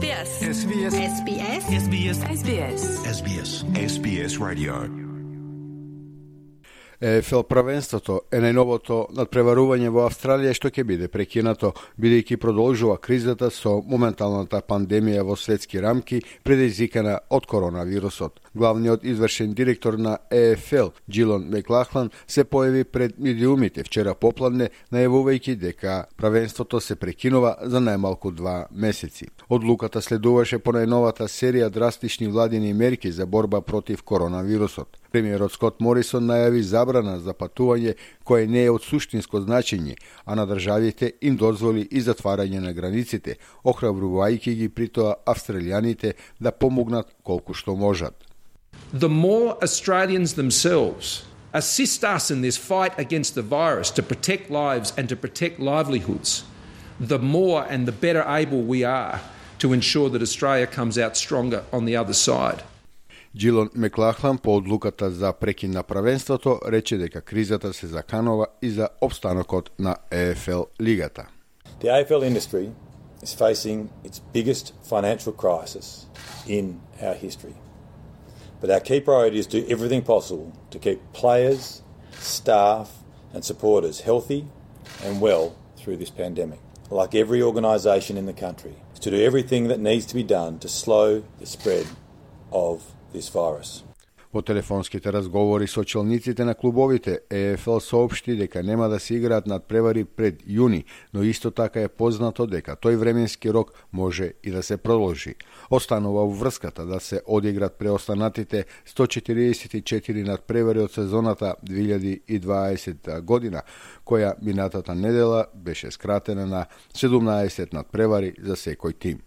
SBS. SBS. SBS. SBS. SBS. SBS. SBS Radio. ЕФЛ правенството е најновото надпреварување во Австралија што ќе биде прекинато, бидејќи продолжува кризата со моменталната пандемија во светски рамки предизвикана од коронавирусот. Главниот извршен директор на ЕФЛ, Джилон Маклахлан, се појави пред медиумите вчера попладне, најавувајќи дека правенството се прекинува за најмалку 2 месеци. Одлуката следуваше по најновата серија драстични владини мерки за борба против коронавирусот. Премиерот Скот Морисон најави забрана за патување кое не е од суштинско значење, а на државите им дозволи и затварање на границите, охрабрувајќи ги при тоа австралијаните да помогнат колку што можат. The more Australians themselves assist us in this fight against the virus to protect lives and to protect livelihoods, the more and the better able we are to ensure that Australia comes out stronger on the other side. Джилон Маклахлан по одлуката за прекин на правенството рече дека кризата се заканува и за опстанокот на ЕФЛ лигата. The AFL industry is facing its biggest financial crisis in our history. But our key priority is to do everything possible to keep players, staff and supporters healthy and well through this pandemic. Like every organisation in the country, is to do everything that needs to be done to slow the spread of this virus. Во телефонските разговори со челниците на клубовите, ЕФЛ соопшти дека нема да се играат надпревари пред јуни, но исто така е познато дека тој временски рок може и да се продолжи. Останува врската да се одиграт преостанатите 144 надпревари од сезоната 2020 година, која минатата недела беше скратена на 17 надпревари за секој тим.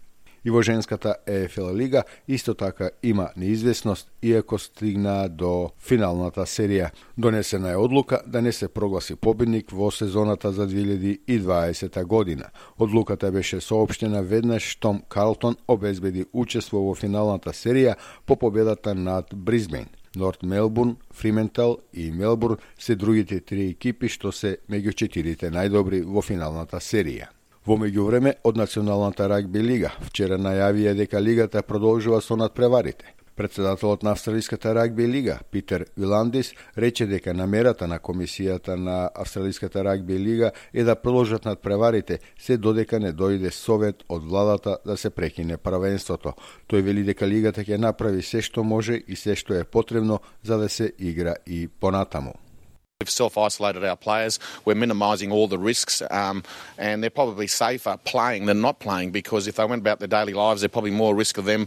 И во женската ЕФЛ лига исто така има неизвестност, иако стигна до финалната серија. Донесена е одлука да не се прогласи победник во сезоната за 2020 година. Одлуката беше соопштена веднаш штом Карлтон обезбеди учество во финалната серија по победата над Брисбејн. Норт Мелбурн, Фриментал и Мелбурн се другите 3 екипи што се меѓу 4 најдобри во финалната серија. Во меѓувреме, од Националната рагби лига вчера најавија дека лигата продолжува со надпреварите. Председателот на Австралиската рагби лига, Питер Виландис, рече дека намерата на комисијата на Австралиската рагби лига е да продолжат надпреварите се додека не дојде совет од владата да се прекине правенството. Тој вели дека лигата ќе направи се што може и се што е потребно за да се игра и понатаму. We've self-isolated our players. We're minimising all the risks, and they're probably safer playing than not playing, because if they went about their daily lives, there's probably more risk of them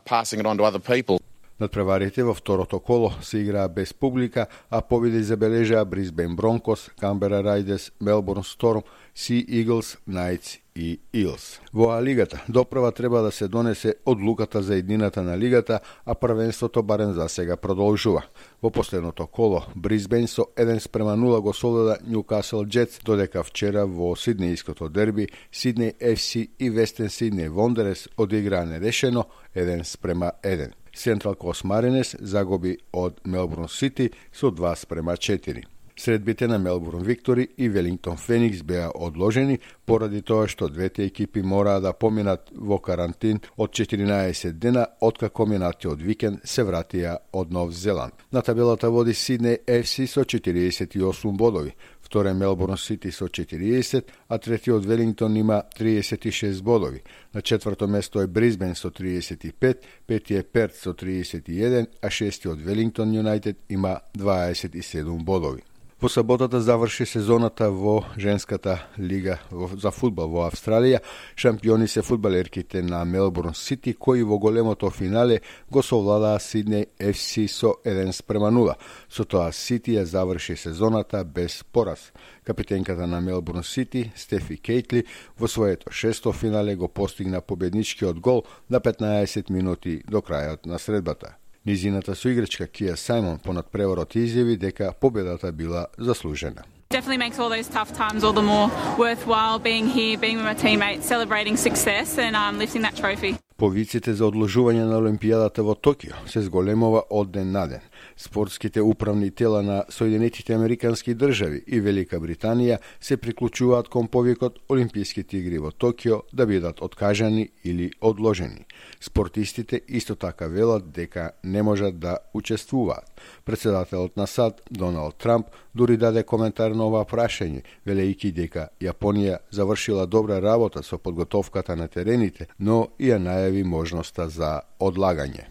passing it on to other people. Надпреварите во второто коло се играа без публика, а победи забележаа Брисбејн Бронкос, Камбера Рајдерс, Мелбурн Сторм, Си Иглс, Најтс и Илс. Во лигата допрва треба да се донесе одлуката за еднината на лигата, а првенството барем за сега продолжува. Во последното коло Брисбејн со 1:0 го совлада Ньюкасл Джетс, додека вчера во сиднејското дерби Сиднеј FC и Вестен Сиднеј Вондерерс одиграа нерешено 1:1. Централ Кост Маринес загуби од Мелбурн Сити со 2:4. Средбите на Мелбурн Виктори и Велингтон Феникс беа одложени поради тоа што двете екипи мораа да поминат во карантин од 14 дена откако минатиот викенд се вратија од Нов Зеланд. На табелата води Сиднеј FC со 48 бодови, вторе Мелбурн Сити со 40, а третиот Велингтон има 36 бодови. На четврто место е Брисбејн со 35, петиот Перт со 31, а шестиот Велингтон Юнајтед има 27 бодови. Во саботата заврши сезоната во женската лига за фудбал во Австралија. Шампиони се фудбалерките на Мелбурн Сити, кои во големото финале го совладаа Сиднеј FC со 1:0. Со тоа Сити ја заврши сезоната без пораз. Капитенката на Мелбурн Сити, Стефи Кейтли, во своето шесто финале го постигна победничкиот гол на 15 минути до крајот на средбата. Низината соиграчка Кија Сајмон по надпреварот изјави дека победата била заслужена. Definitely makes all those tough times all the more worthwhile being here, being with my teammates, celebrating success and lifting that trophy. Повиците за одложување на Олимпијадата во Токио се зголемува од ден на ден. Спортските управни тела на Соединетите Американски држави и Велика Британија се приклучуваат кон повикот Олимписките игри во Токио да бидат откажани или одложени. Спортистите исто така велат дека не можат да учествуваат. Председателот на САД, Доналд Трамп, дури даде коментар на ова прашање, велејќи дека Јапонија завршила добра работа со подготовката на терените, но и ја најави можноста за одлагање.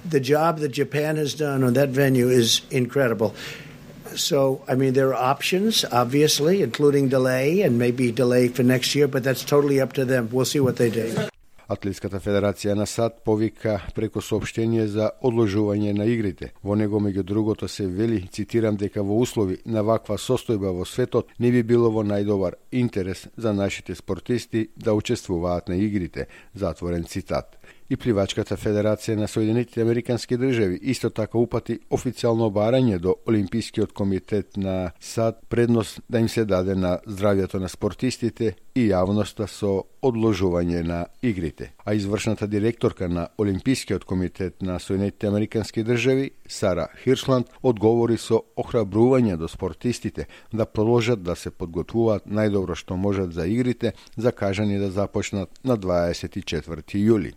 The job that Japan has done on that venue is incredible. So, I mean, there are options, obviously, including delay and maybe delay for next year, but that's totally up to them. We'll see what they do. Атлетската федерација на САД повика преку соопштение за одложување на игрите. Во него, меѓу другото, се вели, цитирам, дека во услови на ваква состојба во светот не би било во најдобар интерес за нашите спортисти да учествуваат на игрите, затворен цитат. И Пливачката федерација на Соединетите Американски држави исто така упати официјално барање до Олимпискиот комитет на САД предност да им се даде на здравјето на спортистите и јавноста со одложување на игрите. А извршната директорка на Олимпискиот комитет на Соединетите Американски држави, Сара Хиршланд, одговори со охрабрување до спортистите да продолжат да се подготвуваат најдобро што можат за игрите, закажани да започнат на 24 јули.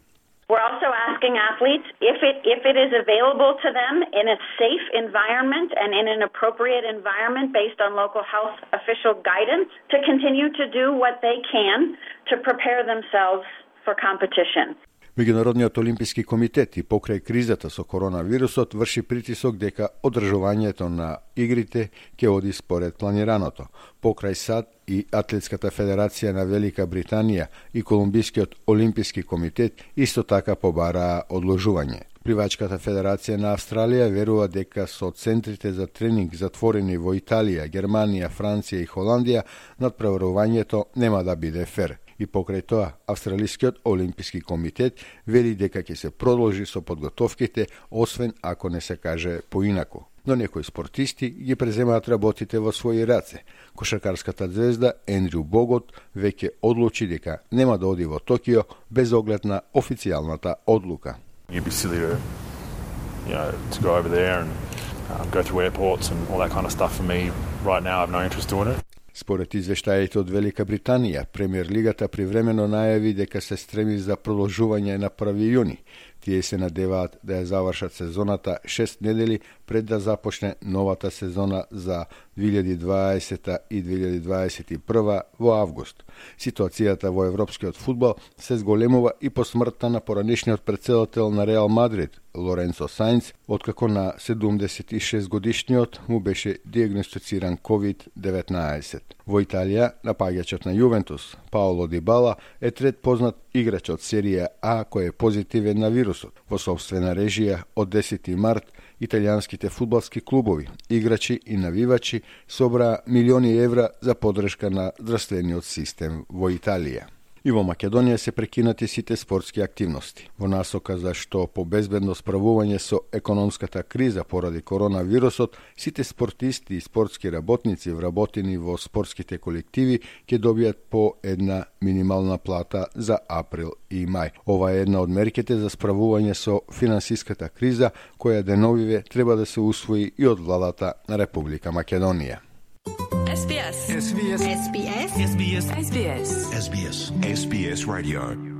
We're also asking athletes if it is available to them in a safe environment and in an appropriate environment based on local health official guidance to continue to do what they can to prepare themselves for competition. Меѓународниот олимписки комитет и покрај кризата со коронавирусот врши притисок дека одржувањето на игрите ќе оди според планираното. Покрај САД и Атлетската федерација на Велика Британија и Колумбискиот олимписки комитет исто така побараа одложување. Пливачката федерација на Австралија верува дека со центрите за тренинг затворени во Италија, Германија, Франција и Холандија надпреварувањето нема да биде фер. И покрај тоа, Австралискиот олимписки комитет вели дека ќе се продолжи со подготовките, освен ако не се каже поинаку. Но некои спортисти ги преземаат работите во своји раце. Кошаркарската звезда Ендрю Богот веќе одлучи дека нема да оди во Токио без оглед на официјалната одлука. You'd be silly to go over there and go through airports and all that kind of stuff. For me, right now, I have no interest doing it. Според извештаите од Велика Британија, Премиер лигата привремено најави дека се стреми за продолжување на 1 јуни. Тие се надеваат да ја завршат сезоната 6 недели пред да започне новата сезона за 2020 и 2021 во август. Ситуацијата во европскиот фудбал се зголемува и по смртта на поранешниот претседател на Реал Мадрид, Лоренцо Сајнц, откако на 76 годишниот му беше диагностициран COVID-19. Во Италија, напаѓачот на Јувентус, Паоло Дибала, е трет познат играч од серија А кој е позитивен на вирусот. Во собствена режија од 10 март, италијанските фудбалски клубови, играчи и навивачи собраа милиони евра за поддршка на здравствениот систем во Италија. И во Македонија се прекинати сите спортски активности. Во насока за што по безбедно справување со економската криза поради коронавирусот, сите спортисти и спортски работници вработени во спортските колективи ќе добијат по една минимална плата за април и мај. Ова е една од мерките за справување со финансиската криза, која деновиве треба да се усвои и од владата на Република Македонија. SBS Radio